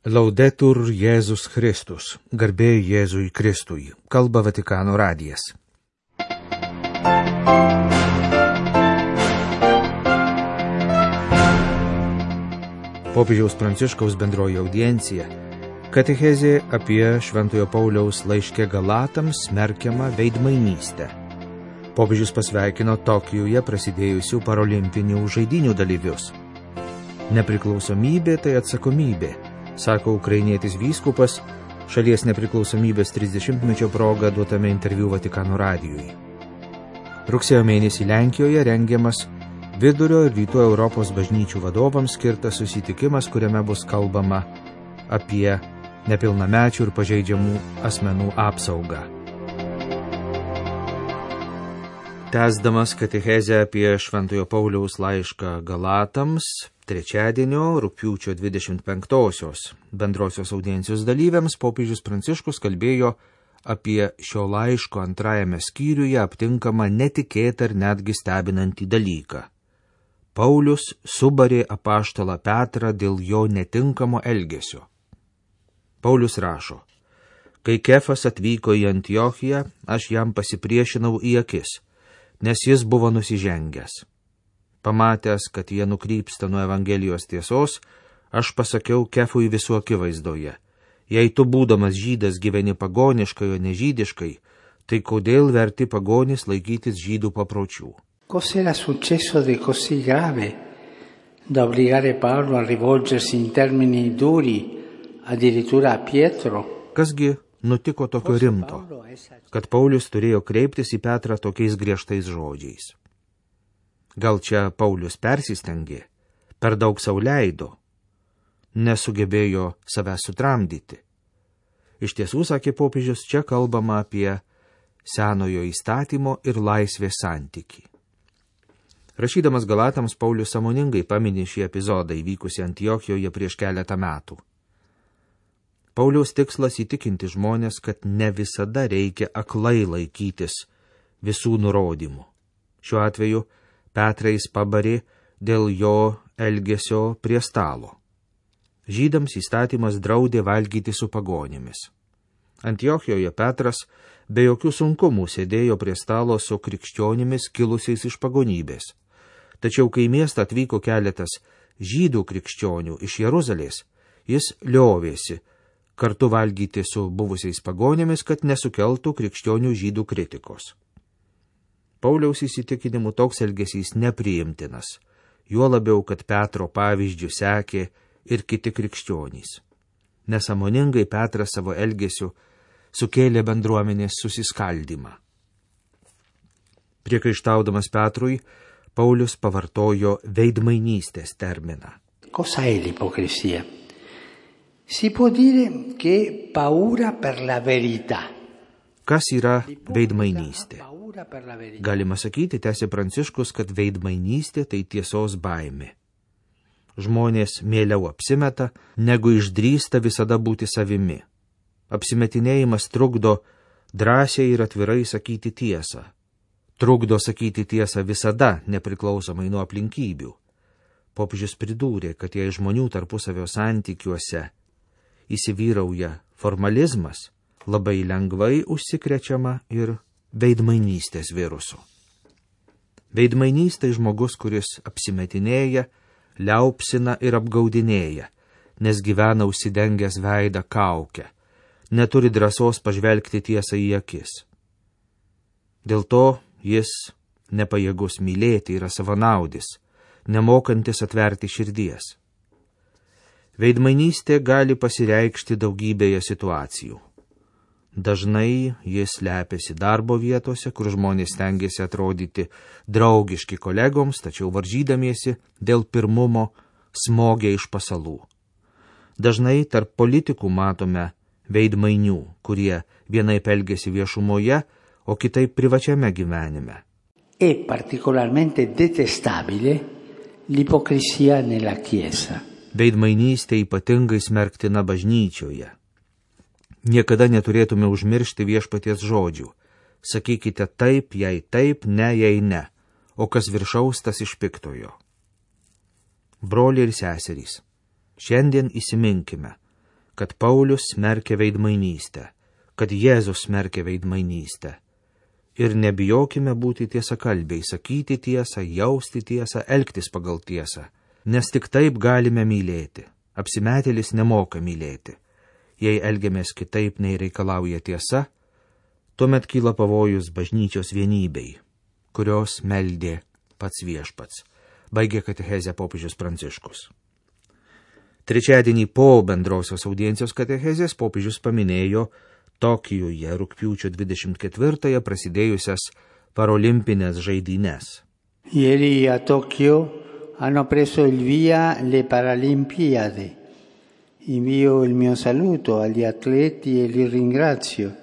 Laudetur Jėzus Kristus, garbė Jėzui Kristui, kalba Vatikano radijas. Popiežiaus Pranciškaus bendroji audiencija, katechezė apie Šventojo Pauliaus laiške Galatams smerkiamą veidmainystę. Popiežius pasveikino Tokijuje prasidėjusių parolimpinių žaidynių dalyvius. Nepriklausomybė tai atsakomybė, sako ukrainietis vyskupas šalies nepriklausomybės 30-mečio proga duotame interviu Vatikano radijui. Rugsėjo mėnesį Lenkijoje rengiamas Vidurio ir Rytų Europos bažnyčių vadovams skirtas susitikimas, kuriame bus kalbama apie nepilnamečių ir pažeidžiamų asmenų apsaugą. Tęsdamas katechezę apie Šventojo Pauliaus laišką Galatams, trečiadienio rugpjūčio 25-osios bendrosios audiencijos dalyviams popiežius Pranciškus kalbėjo apie šio laiško antrajame skyriuje aptinkamą netikėtą ir netgi stebinantį dalyką. Paulius subarė apaštalą Petrą dėl jo netinkamo elgesio. Paulius rašo: kai Kefas atvyko į Antiochiją, aš jam pasipriešinau į akis, nes jis buvo nusižengęs. Pamatęs, kad jie nukrypsta nuo Evangelijos tiesos, aš pasakiau Kefui visų akivaizdoje: jei tu būdamas žydas gyveni pagoniškai, o ne žydiškai, tai kodėl verti pagonis laikytis žydų papročių? Cos'era successo di così grave da obbligare Paolo a rivolgersi in termini duri addirittura a Pietro? Kasgi nutiko tokio rimto, kad Paulius turėjo kreiptis į Petrą tokiais griežtais žodžiais? Gal čia Paulius persistengė, per daug sau leido, nesugebėjo savęs sutramdyti? Iš tiesų, sakė popiežius, čia kalbama apie senojo įstatymo ir laisvės santykį. Rašydamas Galatams, Paulius sąmoningai pamini šį epizodą įvykusį Antiochijoje prieš keletą metų. Pauliaus tikslas įtikinti žmonės, kad ne visada reikia aklai laikytis visų nurodymų. Šiuo atveju Petrą jis pabarė dėl jo elgesio prie stalo. Žydams įstatymas draudė valgyti su pagonimis. Antiochijoje Petras be jokių sunkumų sėdėjo prie stalo su krikščionimis kilusiais iš pagonybės. Tačiau kai miestą atvyko keletas žydų krikščionių iš Jeruzalės, jis liovėsi kartu valgyti su buvusiais pagonimis, kad nesukeltų krikščionių žydų kritikos. Pauliaus įsitikinimu toks elgesys nepriimtinas, juo labiau, kad Petro pavyzdžių sekė ir kiti krikščionys. Nesąmoningai Petras savo elgesiu sukėlė bendruomenės susiskaldymą. Priekaištaudamas Petrui, Paulius pavartojo veidmainystės terminą. Cosa è l'ipocrisia? Si può dire che paura per la verità. Kas yra veidmainystė? Galima sakyti, tęsė Pranciškus, kad veidmainystė tai tiesos baimė. Žmonės mieliau apsimeta, negu išdrįsta visada būti savimi. Apsimetinėjimas trukdo drąsiai ir atvirai sakyti tiesą. Trukdo sakyti tiesą visada, nepriklausomai nuo aplinkybių. Popiežius pridūrė, kad jei žmonių tarpusavio santykiuose įsivyrauja formalizmas, labai lengvai užsikrečiama ir veidmainystės virusu. Veidmainystė žmogus, kuris apsimetinėja, liaupsina ir apgaudinėja, nes gyvena užsidengęs veidą kaukę, neturi drąsos pažvelgti tiesą į akis. Dėl to jis nepajėgus mylėti, yra savanaudis, nemokantis atverti širdies. Veidmainystė gali pasireikšti daugybėje situacijų. Dažnai jis slepiasi darbo vietose, kur žmonės stengiasi atrodyti draugiški kolegoms, tačiau varžydamiesi dėl pirmumo smogia iš pasalų. Dažnai tarp politikų matome veidmainių, kurie vienaip elgiasi viešumoje, o kitaip privačiame gyvenime. È particolarmente detestabile l'ipocrisia nella Chiesa. Veidmainystė ypatingai smerktina bažnyčioje. Niekada neturėtume užmiršti viešpaties žodžių. Sakykite taip, jei taip, ne, jei ne, o kas viršaus, tas iš piktojo. Broliai ir seserys, šiandien įsiminkime, kad Paulius smerkia veidmainystę, kad Jėzus smerkia veidmainystę. Ir nebijokime būti tiesakalbiai, sakyti tiesą, jausti tiesą, elgtis pagal tiesą, nes tik taip galime mylėti. Apsimetėlis nemoka mylėti. Jei elgiamės kitaip, nei reikalauja tiesa, tuomet kyla pavojus bažnyčios vienybei, kurios meldė pats viešpats. Baigė katechezę popiežius Pranciškus. Trečiadienį po bendrosios audiencijos katechezės popiežius paminėjo Tokijuje rugpjūčio 24-ąją prasidėjusias parolimpinės žaidynes. Ieri a Tokyo hanno preso il via le Paralimpiadi. Invio il mio saluto agli atleti e li ringrazio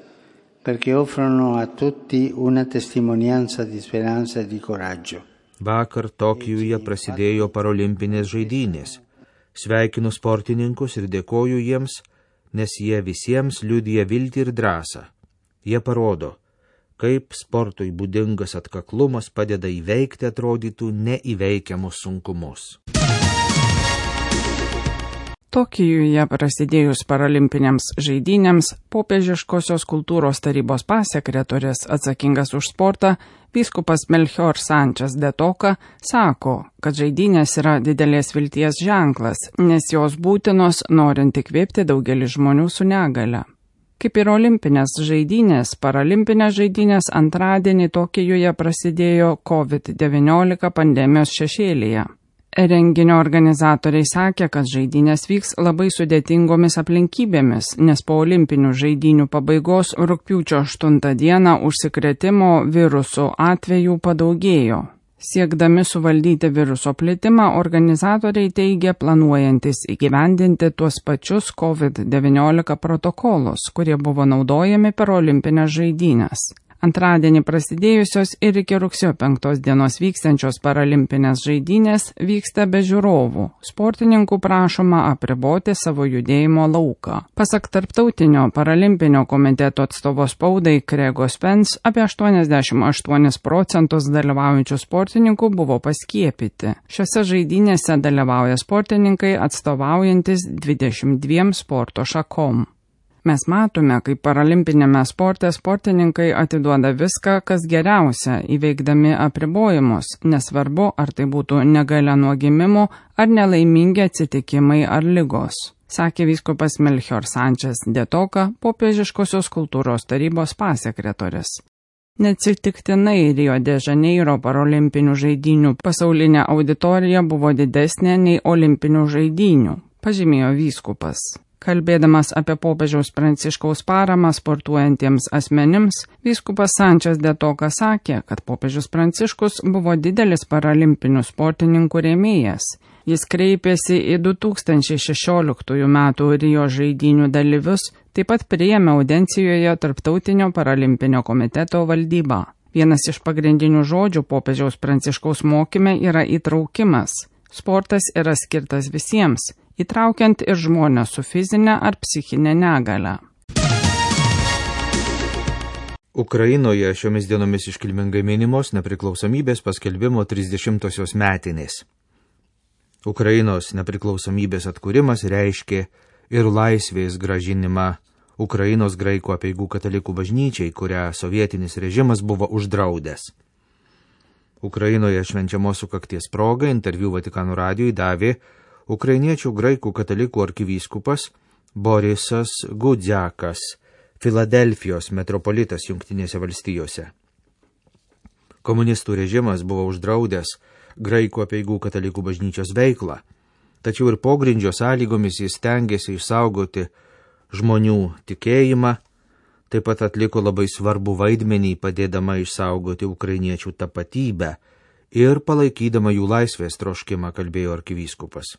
perché offrono a tutti una testimonianza di speranza e di coraggio. Vakar Tokijuje prasidėjo parolimpinės žaidynės. Sveikinu sportininkus ir dėkoju jiems, nes jie visiems liudija viltį ir drąsą. Jie parodo, kaip sportui būdingas atkaklumas padeda įveikti atrodytų neįveikiamus sunkumus. Tokijuje prasidėjus paralimpinėms žaidynėms, popiežiškosios kultūros tarybos pasekretorius atsakingas už sportą, vyskupas Melchior Sánchez de Toca, sako, kad žaidynės yra didelės vilties ženklas, nes jos būtinos norint įkvėpti daugelį žmonių su negale. Kaip ir olimpinės žaidynės, paralimpinės žaidynės antradienį Tokijuje prasidėjo COVID-19 pandemijos šešėlyje. Renginio organizatoriai sakė, kad žaidynės vyks labai sudėtingomis aplinkybėmis, nes po olimpinių žaidynių pabaigos rugpjūčio 8 dieną užsikrėtimo virusų atvejų padaugėjo. Siekdami suvaldyti viruso plitimą, organizatoriai teigia planuojantis įgyvendinti tuos pačius COVID-19 protokolus, kurie buvo naudojami per olimpinės žaidynės. Antradienį prasidėjusios ir iki rugsėjo 5 dienos vykstančios paralimpinės žaidynės vyksta be žiūrovų. Sportininkų prašoma apriboti savo judėjimo lauką. Pasak Tarptautinio paralimpinio komiteto atstovo spaudai Krego Spence, apie 88% dalyvaujančių sportininkų buvo paskiepyti. Šiose žaidynėse dalyvauja sportininkai atstovaujantis 22 sporto šakom. Mes matome, kaip paralimpinėme sporte sportininkai atiduoda viską, kas geriausia, įveikdami apribojimus, nesvarbu, ar tai būtų negalia nuo gimimo, ar nelaimingi atsitikimai ar ligos, sakė vyskupas Melchior Sánchez de Toca, popiežiškosios kultūros tarybos pasekretorius. Neatsitiktinai Rio de Janeiro parolimpinių žaidynių pasaulinė auditorija buvo didesnė nei olimpinių žaidynių, pažymėjo vyskupas. Kalbėdamas apie popiežiaus Pranciškaus paramą sportuojantiems asmenims, vyskupas Sánchez de Toca sakė, kad popiežius Pranciškus buvo didelis paralimpinių sportininkų rėmėjas. Jis kreipėsi į 2016 metų Rio žaidynių dalyvius, taip pat priėmė audencijoje Tarptautinio paralimpinio komiteto valdybą. Vienas iš pagrindinių žodžių popiežiaus Pranciškaus mokyme yra įtraukimas. Sportas yra skirtas visiems, įtraukiant ir žmonės su fizinė ar psichinė negale. Ukrainoje šiomis dienomis iškilmingai minimos nepriklausomybės paskelbimo 30-osios metinės. Ukrainos nepriklausomybės atkūrimas reiškė ir laisvės grąžinimą Ukrainos graikų apeigų katalikų bažnyčiai, kurią sovietinis režimas buvo uždraudęs. Ukrainoje švenčiamos sukakties proga interviu Vatikano radijui davė ukrainiečių graikų katalikų arkivyskupas Borisas Gudziakas, Filadelfijos metropolitas Jungtinėse valstijose. Komunistų režimas buvo uždraudęs graikų apeigų katalikų bažnyčios veiklą, tačiau ir pogrindžio sąlygomis jis stengiasi išsaugoti žmonių tikėjimą, taip pat atliko labai svarbų vaidmenį padėdama išsaugoti ukrainiečių tapatybę ir palaikydama jų laisvės troškimą, kalbėjo arkivyskupas.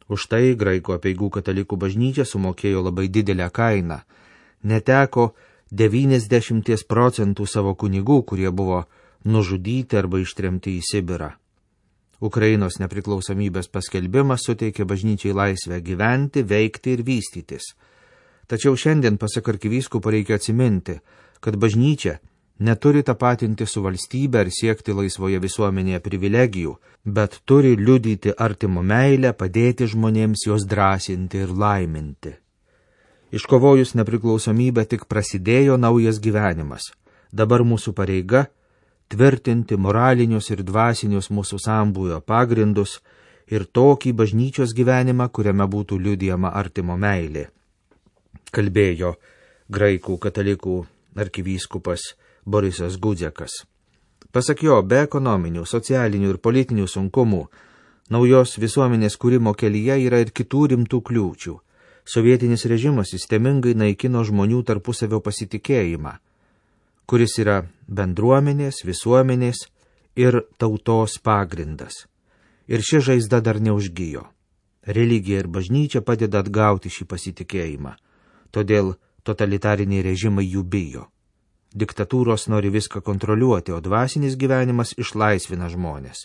Už tai graikų apeigų katalikų bažnyčia sumokėjo labai didelę kainą, neteko 90% savo kunigų, kurie buvo nužudyti arba ištremti į Sibirą. Ukrainos nepriklausomybės paskelbimas suteikė bažnyčiai laisvę gyventi, veikti ir vystytis. Tačiau šiandien, pasak arkivyskupo, reikia atsiminti, kad bažnyčia neturi tapatinti su valstybe ar siekti laisvoje visuomenėje privilegijų, bet turi liudyti artimo meilę, padėti žmonėms, juos drąsinti ir laiminti. Iškovojus nepriklausomybę tik prasidėjo naujas gyvenimas. Dabar mūsų pareiga tvirtinti moralinius ir dvasinius mūsų sambūvio pagrindus ir tokį bažnyčios gyvenimą, kuriame būtų liudijama artimo meilė. Kalbėjo graikų katalikų arkivyskupas Borisas Gudzekas. Pasak jo, be ekonominių, socialinių ir politinių sunkumų, naujos visuomenės kūrimo kelyje yra ir kitų rimtų kliūčių. Sovietinis režimas sistemingai naikino žmonių tarpusavio pasitikėjimą, kuris yra bendruomenės, visuomenės ir tautos pagrindas. Ir ši žaizda dar neužgijo. Religija ir bažnyčia padeda atgauti šį pasitikėjimą. Todėl totalitariniai režimai jų bijo. Diktatūros nori viską kontroliuoti, o dvasinis gyvenimas išlaisvina žmonės,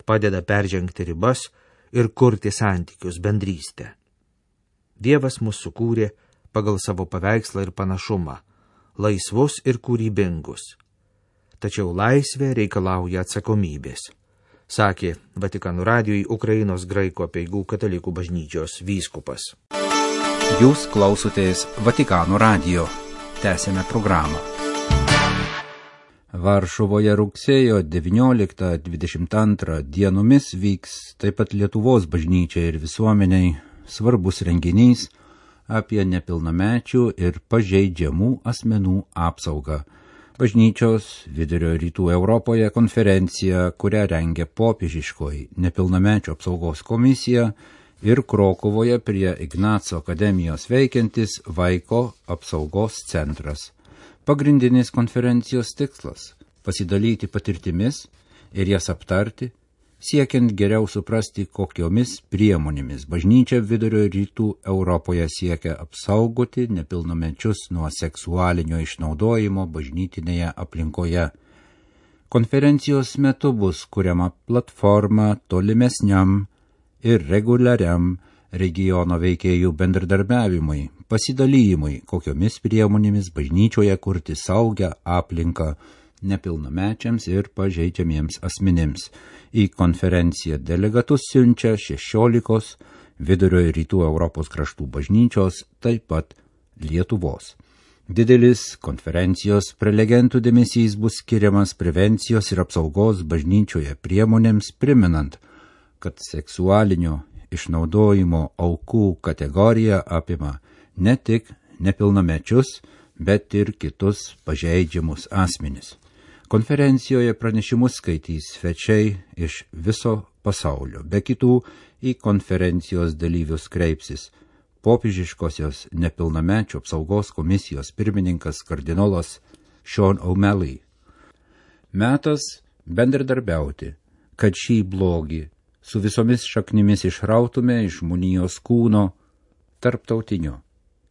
padeda peržengti ribas ir kurti santykius, bendrystę. Dievas mus sukūrė pagal savo paveikslą ir panašumą, laisvus ir kūrybingus. Tačiau laisvė reikalauja atsakomybės, sakė Vatikano radijui Ukrainos graikų apeigų katalikų bažnyčios vyskupas. Jūs klausotės Vatikano radijo. Tęsėme programą. Varšuvoje rugsėjo 19-22 dienomis vyks taip pat Lietuvos bažnyčiai ir visuomeniai svarbus renginys apie nepilnamečių ir pažeidžiamų asmenų apsaugą. Bažnyčios Vidurio Rytų Europoje konferencija, kurią rengia popiežiškoji nepilnamečių apsaugos komisija ir Krokuvoje prie Ignaco akademijos veikiantis Vaiko apsaugos centras. Pagrindinis konferencijos tikslas – pasidalyti patirtimis ir jas aptarti, siekiant geriau suprasti, kokiomis priemonėmis bažnyčia Vidurio Rytų Europoje siekia apsaugoti nepilnamečius nuo seksualinio išnaudojimo bažnytinėje aplinkoje. Konferencijos metu bus kuriama platforma tolimesniam ir reguliariam regiono veikėjų bendradarbiavimui, pasidalijimui, kokiomis priemonėmis bažnyčioje kurti saugią aplinką nepilnamečiams ir pažeidžiamiems asmenims. Į konferenciją delegatus siunčia 16 Vidurio ir Rytų Europos kraštų bažnyčios, taip pat Lietuvos. Didelis konferencijos prelegentų dėmesys bus skiriamas prevencijos ir apsaugos bažnyčioje priemonėms, priminant, kad seksualinio išnaudojimo aukų kategorija apima ne tik nepilnamečius, bet ir kitus pažeidžiamus asmenis. Konferencijoje pranešimus skaitys svečiai iš viso pasaulio. Be kitų į konferencijos dalyvius kreipsis popiežiškosios nepilnamečių apsaugos komisijos pirmininkas kardinolas Sean O'Malley. Metas bendradarbiauti, kad šį blogį su visomis šaknimis išrautume iš žmonijos kūno tarptautiniu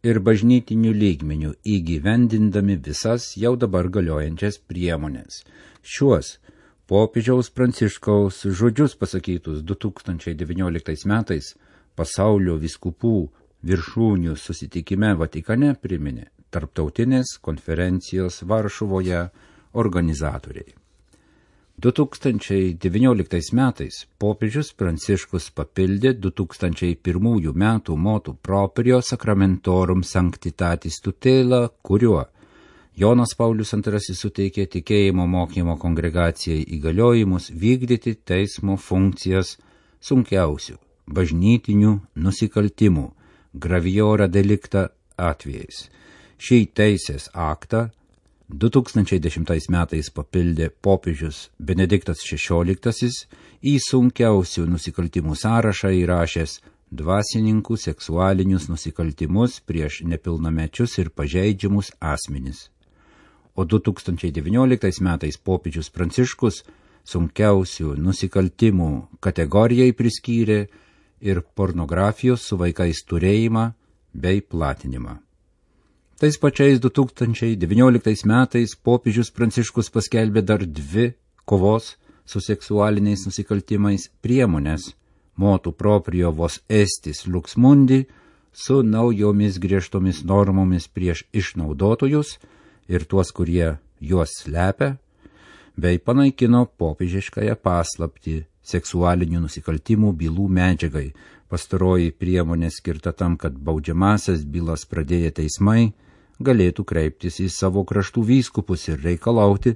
ir bažnytiniu lygmeniu įgyvendindami visas jau dabar galiojančias priemonės. Šiuos popiežiaus Pranciškaus žodžius pasakytus 2019 metais pasaulio vyskupų viršūnių susitikime Vatikane priminė tarptautinės konferencijos Varšuvoje organizatoriai. 2019 metais popiežius Pranciškus papildė 2001 metų motu proprio Sacramentorum Sanctitatis Tutela, kuriuo Jonas Paulius II suteikė tikėjimo mokymo kongregacijai įgaliojimus vykdyti teismo funkcijas sunkiausių bažnytinių nusikaltimų graviora delicta atvejais. Šį teisės aktą 2010 metais papildė popiežius Benediktas XVI į sunkiausių nusikaltimų sąrašą įrašęs dvasininkų seksualinius nusikaltimus prieš nepilnamečius ir pažeidžiamus asmenis. O 2019 metais popiežius Pranciškus sunkiausių nusikaltimų kategorijai priskyrė ir pornografijos su vaikais turėjimą bei platinimą. Tais pačiais 2019 metais popiežius Pranciškus paskelbė dar 2 kovos su seksualiniais nusikaltimais priemonės motu proprio vos estis lux mundi su naujomis griežtomis normomis prieš išnaudotojus ir tuos, kurie juos slepia, bei panaikino popiežiškąją paslaptį seksualinių nusikaltimų bylų medžiagai. Pastaroji priemonė skirta tam, kad baudžiamasias bylas pradėję teismai galėtų kreiptis į savo kraštų vyskupus ir reikalauti,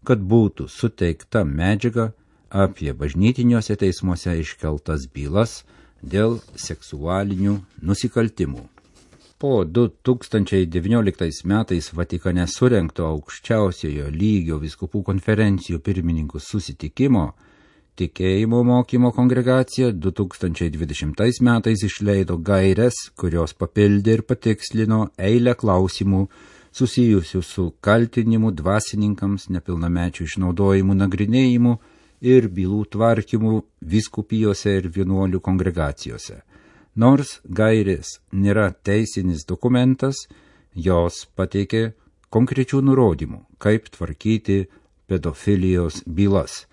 kad būtų suteikta medžiaga apie bažnytiniuose teismuose iškeltas bylas dėl seksualinių nusikaltimų. Po 2019 metais Vatikane surengto aukščiausiojo lygio vyskupų konferencijų pirmininkų susitikimo Tikėjimo mokymo kongregacija 2020 metais išleido gaires, kurios papildė ir patikslino eilę klausimų susijusių su kaltinimu dvasininkams, nepilnamečių išnaudojimu nagrinėjimu ir bylų tvarkymu vyskupijose ir vienuolių kongregacijose. Nors gairės nėra teisinis dokumentas, jos pateikė konkrečių nurodymų, kaip tvarkyti pedofilijos bylas.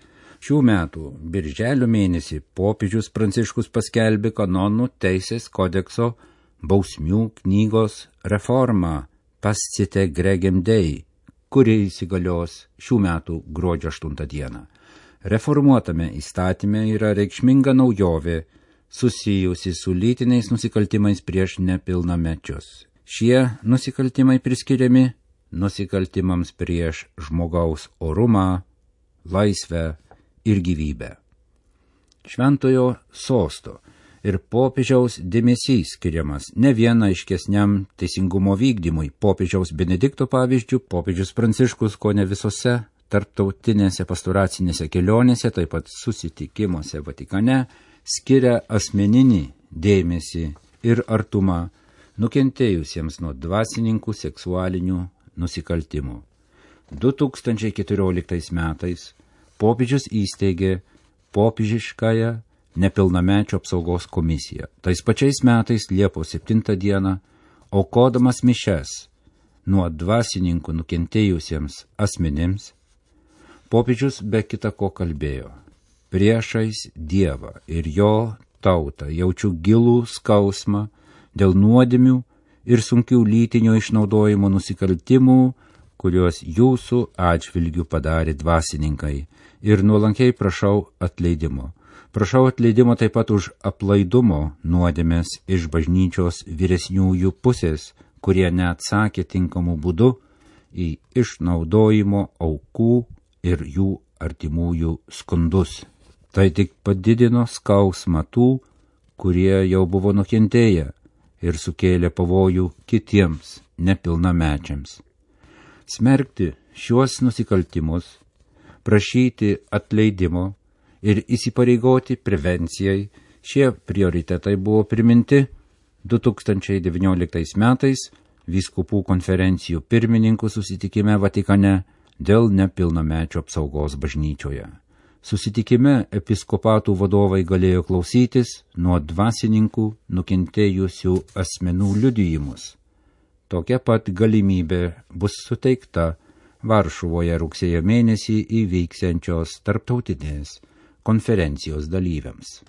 Šių metų birželio mėnesį popiežius Pranciškus paskelbė kanonų teisės kodekso bausmių knygos reformą Pascite Gregem Dei, kuri įsigalios šių metų gruodžio 8 dieną. Reformuotame įstatyme yra reikšminga naujovė susijusi su lytiniais nusikaltimais prieš nepilnamečius. Šie nusikaltimai priskiriami nusikaltimams prieš žmogaus orumą, laisvę ir gyvybę. Šventojo sosto ir popiežiaus dėmesys skiriamas ne vien aiškesniam teisingumo vykdymui. Popiežiaus Benedikto pavyzdžių, popiežius Pranciškus kone visose tarptautinėse pastoracinėse kelionėse, taip pat susitikimuose Vatikane, skiria asmeninį dėmesį ir artumą nukentėjusiems nuo dvasininkų seksualinių nusikaltimų. 2014 metais popiežius įsteigė popiežiškąją nepilnamečių apsaugos komisiją. Tais pačiais metais Liepos 7 dieną, aukodamas mišias nuo dvasininkų nukentėjusiems asmenims, popiežius be kita ko kalbėjo: priešais Dievą ir jo tautą jaučiu gilų skausmą dėl nuodėmių ir sunkių lytinio išnaudojimo nusikaltimų, kuriuos jūsų atžvilgių padarė dvasininkai, ir nuolankiai prašau atleidimo. Prašau atleidimo taip pat už aplaidumo nuodėmės iš bažnyčios vyresniųjų pusės, kurie neatsakė tinkamu būdu į išnaudojimo aukų ir jų artimųjų skundus. Tai tik padidino skausmą tų, kurie jau buvo nukentėję ir sukėlė pavojų kitiems nepilnamečiams. Smerkti šiuos nusikaltimus, prašyti atleidimo ir įsipareigoti prevencijai, šie prioritetai buvo priminti 2019 metais vyskupų konferencijų pirmininkų susitikime Vatikane dėl nepilnamečių apsaugos bažnyčioje. Susitikime episkopatų vadovai galėjo klausytis nuo dvasininkų nukentėjusių asmenų liudijimus. Tokia pat galimybė bus suteikta Varšuvoje rugsėjo mėnesį įvyksiančios tarptautinės konferencijos dalyviams.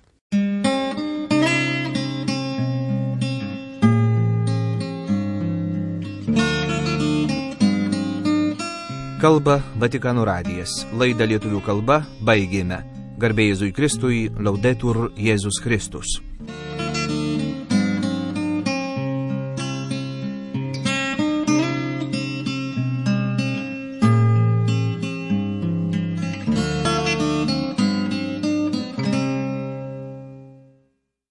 Kalba Vatikano radijas. Laidą lietuvių kalba baigėme. Garbė Jėzui Kristui, Laudetur Jėzus Kristus.